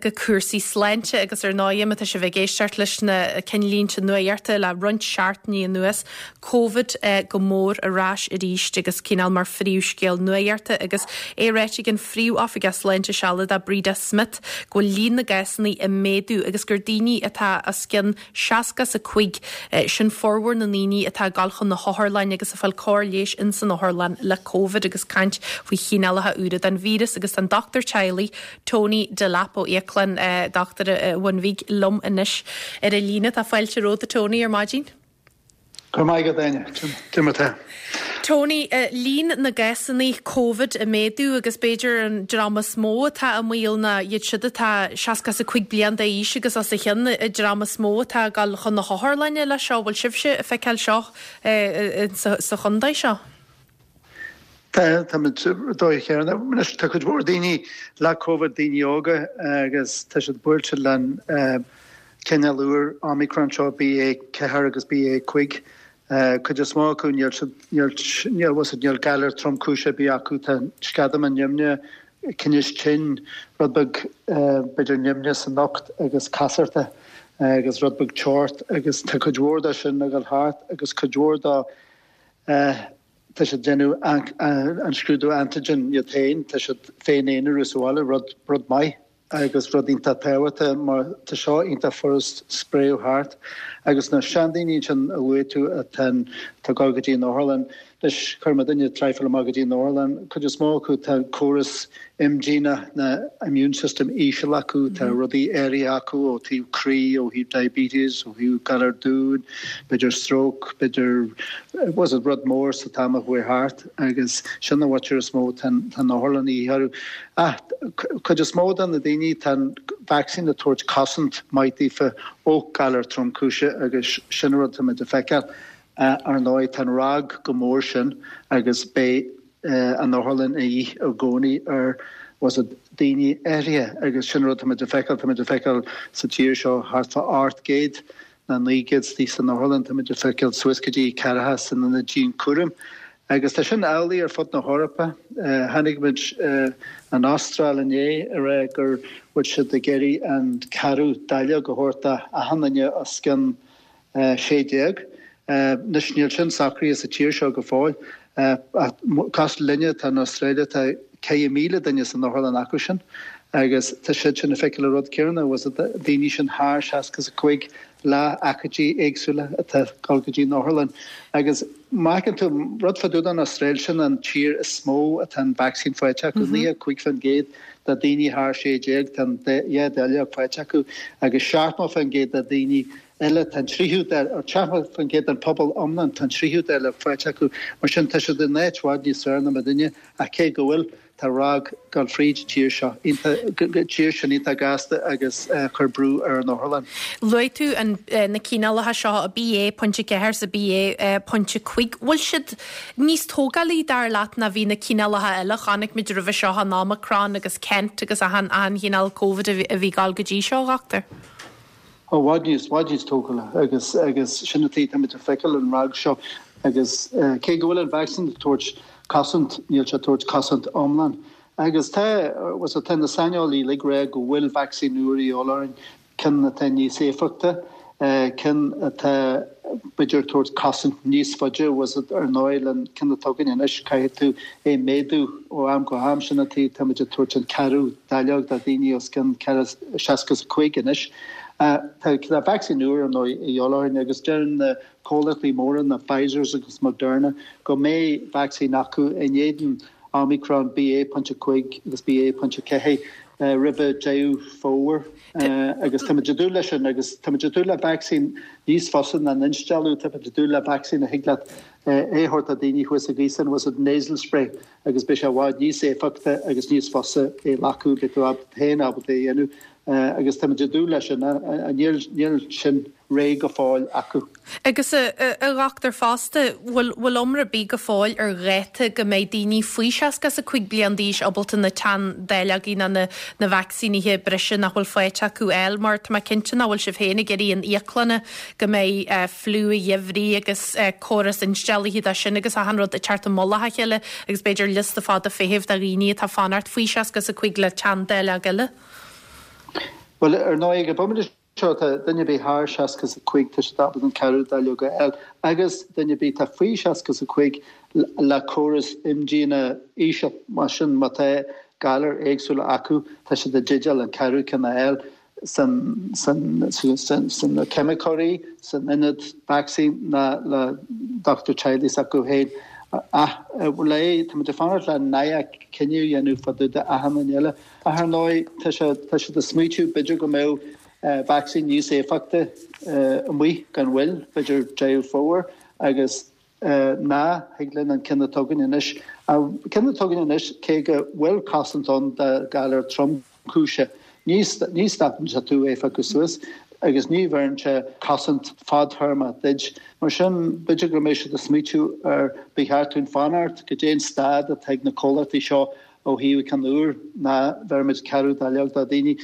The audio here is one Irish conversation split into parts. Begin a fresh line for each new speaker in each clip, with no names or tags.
go cúrsaí sláinte agus ar ndóigh má tá sibh ag éisteacht leis na cinnlínte nuachta le roinnt seachtainí anuas, Covid go mór ar ais arís agus cineál mar phríomhscéal nuachta agus é ráite ag an Phríomh-Oifigeach Sláinte Sealadach Breda Smith go bhfuil líon na gcásanna ag méadú agus gur daoine atá os cionn 65, sin formhór na ndaoine atá ag dul chun na hotharlainne agus ag fáil cóir leighis ins an otharlann le Covid agus caint faoi chineálacha úra den víreas agus tá an dochtúir teaghlaigh Tony Delap ó Íoclann Dochtúir an Bhun Bhig liom anois ar an líne. Tá fáilte romhat a Tony ar maidin.
Go raibh maith agat, Áine. Cad é mar atá.
Tony, líon na gcásanna Covid ag méadú agus b'fhéidir an dream is mó atá i mbaol ná iad siúd atá 65 bliain d'aois agus os a chionn, an dream is mó atá ag dul chun na hotharlainne leis seo. Bhfuil sibhse ag feiceáil seo sa chontae seo?
Tá, táimid dóigh chéanna. Anois tá cuid mhór daoine le Covid, daoine óga agus tá siad buailte len cineál úr Omicron seo, BA4 agus BA5. Cuid is mó acu níl siad, níl, níl, bhfuil siad, níl galar tromchúiseach ar bith acu, tá sceadamán nimhneach, tinneas tinn, rud beag b'fhéidir nimhne san ucht agus casartach agus rud beag teocht agus tá cuid mhór de sin ag dul thart agus cuid mhór de tá siad ag déanamh an scrúdú antigen iad féin, tá siad féin-aonarú sa bhaile, rud, rud maith. agus rud iontach tábhachtach mar tá seo iontach furast spréadh thart agus na seandaoine ansin a luaigh tú atá atá ag dul go dtí an otharlann, anois chuir muidinne traidhfil amach go dtí an otharlann, cuid is mó acu tá córas imdhíonach na immune system íseal acu, tá rudaí áirithe acu ó thaobh croí, ó thaobh diabetes, ó thaobh galar domhain, b'fhéidir stroke, b'fhéidir was it rud mór sa t-am a chuaigh thart agus sin an mhuintir is mó tá an otharlann a dhíth orthu. Ach cuid is mó de na daoine, tá an vacsaín ag tabhairt cosaint maith daofa ó galar tromchúiseach agus sin an rud atáimid a feiceáil. Ar ndóigh, tá an ROG chomh mór sin agus beidh an otharlann a dhíth i gcónaí ar was it daoine áirithe agus sin an rud atáimid a feiceáil. Táimid a feiceáil sa tír seo thart fá 800 ná 900 istigh san otharlann, táimid ag feiceáil suas go dtí ceathracha san ionad dianchúraim. Agus tá sin amhlaidh ar fud na hEorpa. Chonaic muid an Astráil inné ag rá go bhfuil siad ag iarraidh an ceathrú dáileog a thabhairt do achan duine os cionn 16. Anois níl sin socraithe sa tír seo go fóill. Ach cosúil linne, tá an Astráil, tá 4,000 duine san otharlann acu sin agus tá siad sin ag feiceáil an rud céanna, was it daoine sin thar 65 le aicmí éagsúla atá ag dul go dtí an otharlann. Agus má fheiceann tú rud fá dtaobh den Astráil, sin an tír is mó atá an vacsaín faighte acu, 95% de daoine thar 16 tá an dhá dáileog faighte acu agus 70% de daoine eile, tá an tríú dáileog, 70% den phobal iomlán, tá an tríú dáileog faighte acu. Mar sin, tá siad in áit i bhfad níos fearr ná muidinne, ach cé go bhfuil, tá ROG ag dul fríd an tír seo, tír sin iontach gasta agus chuir brú ar an otharlann.
Luaigh tú an, na cineálacha seo, BA pointe 4 is BA pointe 5. Bhfuil siad níos tógálaí, dar leat, ná bhí na cineálacha eile? Chonaic muid roimhe seo an Omicron agus Kent agus achan, achan chineál Covid a bhí ag dul go dtí seo, a dhochtúir.
I bhfad níos, bhfad níos tógála agus, agus sin an tuige táimid ag feiceáil an ROG seo agus cé go bhfuil an vacsaín ag tabhairt cosaint, níl sé ag tabhairt cosaint iomlán. Agus tá, bhuel tá na saineolaí uilig ag rá go bhfuil vacsaín úr a dhíobháil orainn, ceann atá níos éifeachta, ceann atá b'fhéidir ag tabhairt cosaint níos faide, bhuel ar ndóigh le an ceann atá againn anois caithfidh tú é méadú ó am go ham, sin an tuige táimid ag tabhairt an ceathrú dáileog do dhaoine os cionn 65 anois. Tá vacsaín úr ar ndóigh a dhíobháil orainn agus deireann na comhlachtaí móra, na Pfizers agus Moderna, go mbeidh vacsaín acu in éadan Omicron BA.5 agus BA.4 roimhe Deireadh Fómhair agus táimid ag dúil leis sin agus táimid ag dúil le vacsaín níos fusa ná an instealladh, táimid ag dúil le vacsaín a thig leat é a thabhairt do daoine thuas i gcaosan, was it nasal spray agus beidh sé i bhfad níos éifeachta agus níos fusa é a ghlacadh, beidh tú féin ábalta é a dhéanamh. Agus táimid ag dúil leis sin. Níl, níl sin réidh go fóill acu.
Agus a dhochtúir fosta, bhfuil, bhfuil iomrá ar bith go fóill ar dháta go mbeidh daoine faoi 65 bliain d'aois ábalta na teanndáileogaí ná na, na vacsaínithe breise nach bhfuil faighte acu a fháil? Mar tá mé cinnte nach bhfuil sibh féin ag iarraidh in íoclanna go mbeidh fliú an gheimhridh agus córas insteallaithe de sin agus achan rud ag teacht i mullach a chéile agus b'fhéidir liosta fada feithimh de dhaoine atá ag fanacht faoi 65 le teanndáileog eile.
Bhuel, ar ndóigh, ag an bhomaite seo, tá duine ar bith thar 65, tá siad ábalta an ceathrú dáileog a fháil, agus duine ar bith atá faoi 65 le córas imdhíonadh íseal, mar sin má tá galair éagsúla acu, tá siad i dteideal an ceathrú ceann a fháil san sna ceimiceoirí, san ionad vacsaín ná le dochtúir teaghlaigh s'acu féin. Ach le, táimid ag fanacht le NIAC cinneadh a dhéanamh fá dtaobh de achan duine eile. Ach ar ndóigh, tá sé, tá siad ag smaoitiú b'fhéidir go mbeadh vacsaín níos éifeachta amuigh gan mhoill, b'fhéidir Deireadh Fómhair, agus ná thig linn an ceann atá againn anois. An ceann atá againn anois, cé go bhfuil cosaint ann do ghalar tromchúiseach, ní, ní stopann sé tú é a phiocadh suas agus ní bheireann sé cosaint fadtéarmach duit. Mar sin, b'fhéidir go mbeidh siad ag smaoitiú ar ba cheart dúinn fanacht go dtí an staid atá ag na comhlachtaí seo Ó thaobh ceann úr ná bheirimid ceathrú dáileog do daoine.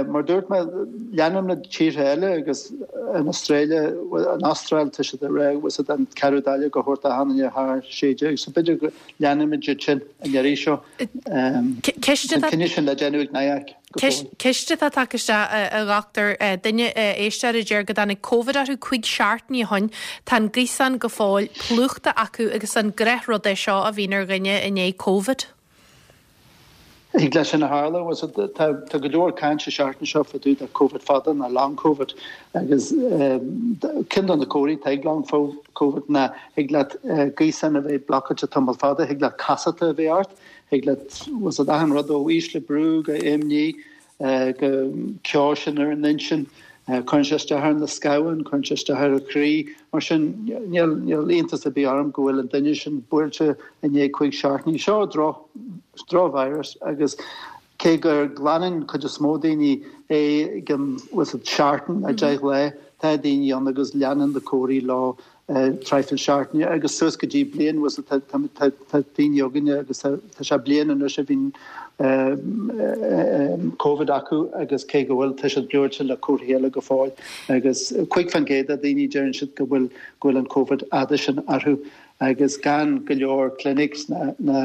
Mar dúirt mé, leanann na tíortha eile agus an Astráile, an Astráil tá siad ag rá bhfuil siad an ceathrú dáileog a thabhairt d'achan duine thar 16 so b'fhéidir go leanfaimid iad sin an iarraidh seo.
Ceist
An cinneadh sin le déanamh ag NIAC
go fóill. Ceist atá tagtha isteach, a dhochtúir, duine, éisteoir a deir go dtáinig Covid orthu 5 seachtainí ó shoin, tá an gaosán go fóill plúchta acu agus an gnáthrud é seo a bhíonn ar dhuine i ndiaidh Covid?
Thig leis sin a tharlú. Tá go leor cainte an seachtain seo fá dtaobh de Covid fada nó long Covid agus ceann de na comharthaí atá ag long Covid ná thig leat gaosán a bheith blocáilte tamall fada, thig leat casachta a bheith ort, thig leat bhfuil a fhios agat achan rud ó ísle brú go imní go ceo sin ar an intinn. Cuireann sé isteach ar na scamháin, cuireann sé isteach ar an chroí. Mar sin, níl iontas ar bith orm go bhfuil an duine sin buailte i ndiaidh 5 seachtainí. Seo drochvirus agus cé gur glanann cuid is mó daoine é i gcionn bhfuil a fhios agat seachtain nó 10 lá, tá daoine ann agus leanann na comharthaí leo traidhfil seachtaine agus suas go dtí bliain bhfuil a fhios agat tá daoine againne agus tá sé bliain anois a bhíonn Covid acu agus cé go bhfuil tá siad buailte le comharthaí eile go fóill agus 5% de daoine deireann siad go bhfuil go bhfuil an Covid fhada sin orthu agus gan go leor clinics ná na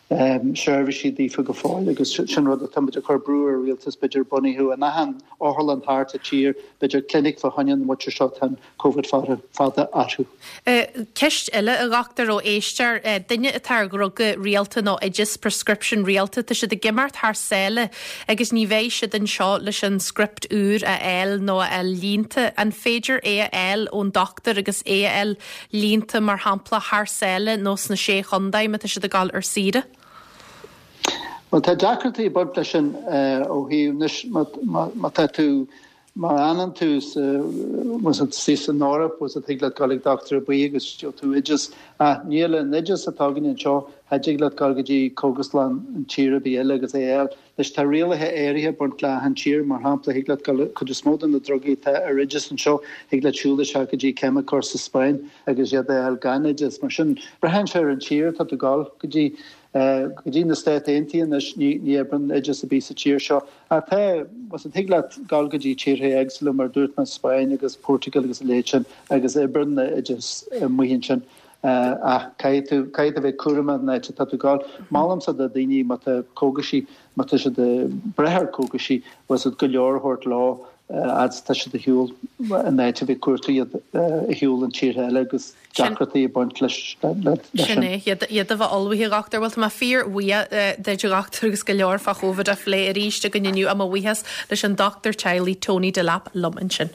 seirbhísí daofa go fóill agus sin rud atá muid ag cur brú ar rialtas b'fhéidir bunaithe in achan otharlann thart sa tír b'fhéidir clinic fá choinne na muintir seo tá an Covid fada orthu.
Ceist eile, a dhochtúir, ó éisteoir, duine atá ar dhruga rialta nó oideas, prescription, rialta, tá siad ag imeacht thar sáile agus ní bheidh siad anseo leis an script úr a fháil nó a fháil líonta. An féidir é a fháil ón dochtúir agus é a fháil líonta mar shampla thar sáile nó sna Sé Chontae má tá siad ag dul ar saoire?
Bhuel, tá deacrachtaí ag baint leis sin ó thaobh anois má tá tú Má fhanann tú sa, bhfuil a fhios agat, san Eoraip, bhfuil a fhios agat, thig leat dul ag dochtúir ar bith agus gheobhaidh tú oideas. Ach níl an oideas atá againn anseo, cha dtig leat dul go dtí cógaslann in tír ar bith eile agus é a fháil. Anois tá rialacha áirithe ag baint le achan tír, mar shampla thig leat dul, cuid is mó de na drugaí atá ar oideas anseo, thig leat siúl isteach go dtí ceimiceoir sa Spáinn agus iad a fháil gan oideas. Mar sin, braitheann sé ar an tír atá tú ag dul go dtí. Go dtí na Stáit Aontaithe anois, ní oibreann oideas ar bith sa tír seo. Ach tá, bhfuil a fhios agat, thig leat dul go dtí tíortha éagsúla mar a dúirt mé, Spáinn agus Portugal agus a leithéid sin agus oibreann na oideas amuigh ansin. Ach caithfidh tú, caithfidh tú bheith cúramach an áit atá tú ag dul. Molaimse do daoine má tá cógaisí, má tá siad ag brath ar cógaisí, bhfuil a fhios agat, go leor a thabhairt leo fhad is tá siad ar shiúl an áit a bheith ag cuartú iad ar shiúl in tíortha eile agus deacrachtaí ag baint leis
sin. Sin é, iad a bheith ullmhaithe, a dhochtúir. Bhuel, tá mé fíor-bhuíoch duit, a dhochtúir, agus go leor fá Chóvid á phlé arís againn inniu. Mo bhuíochas leis an dochtúir teaghlaigh Tony Delap liom ansin.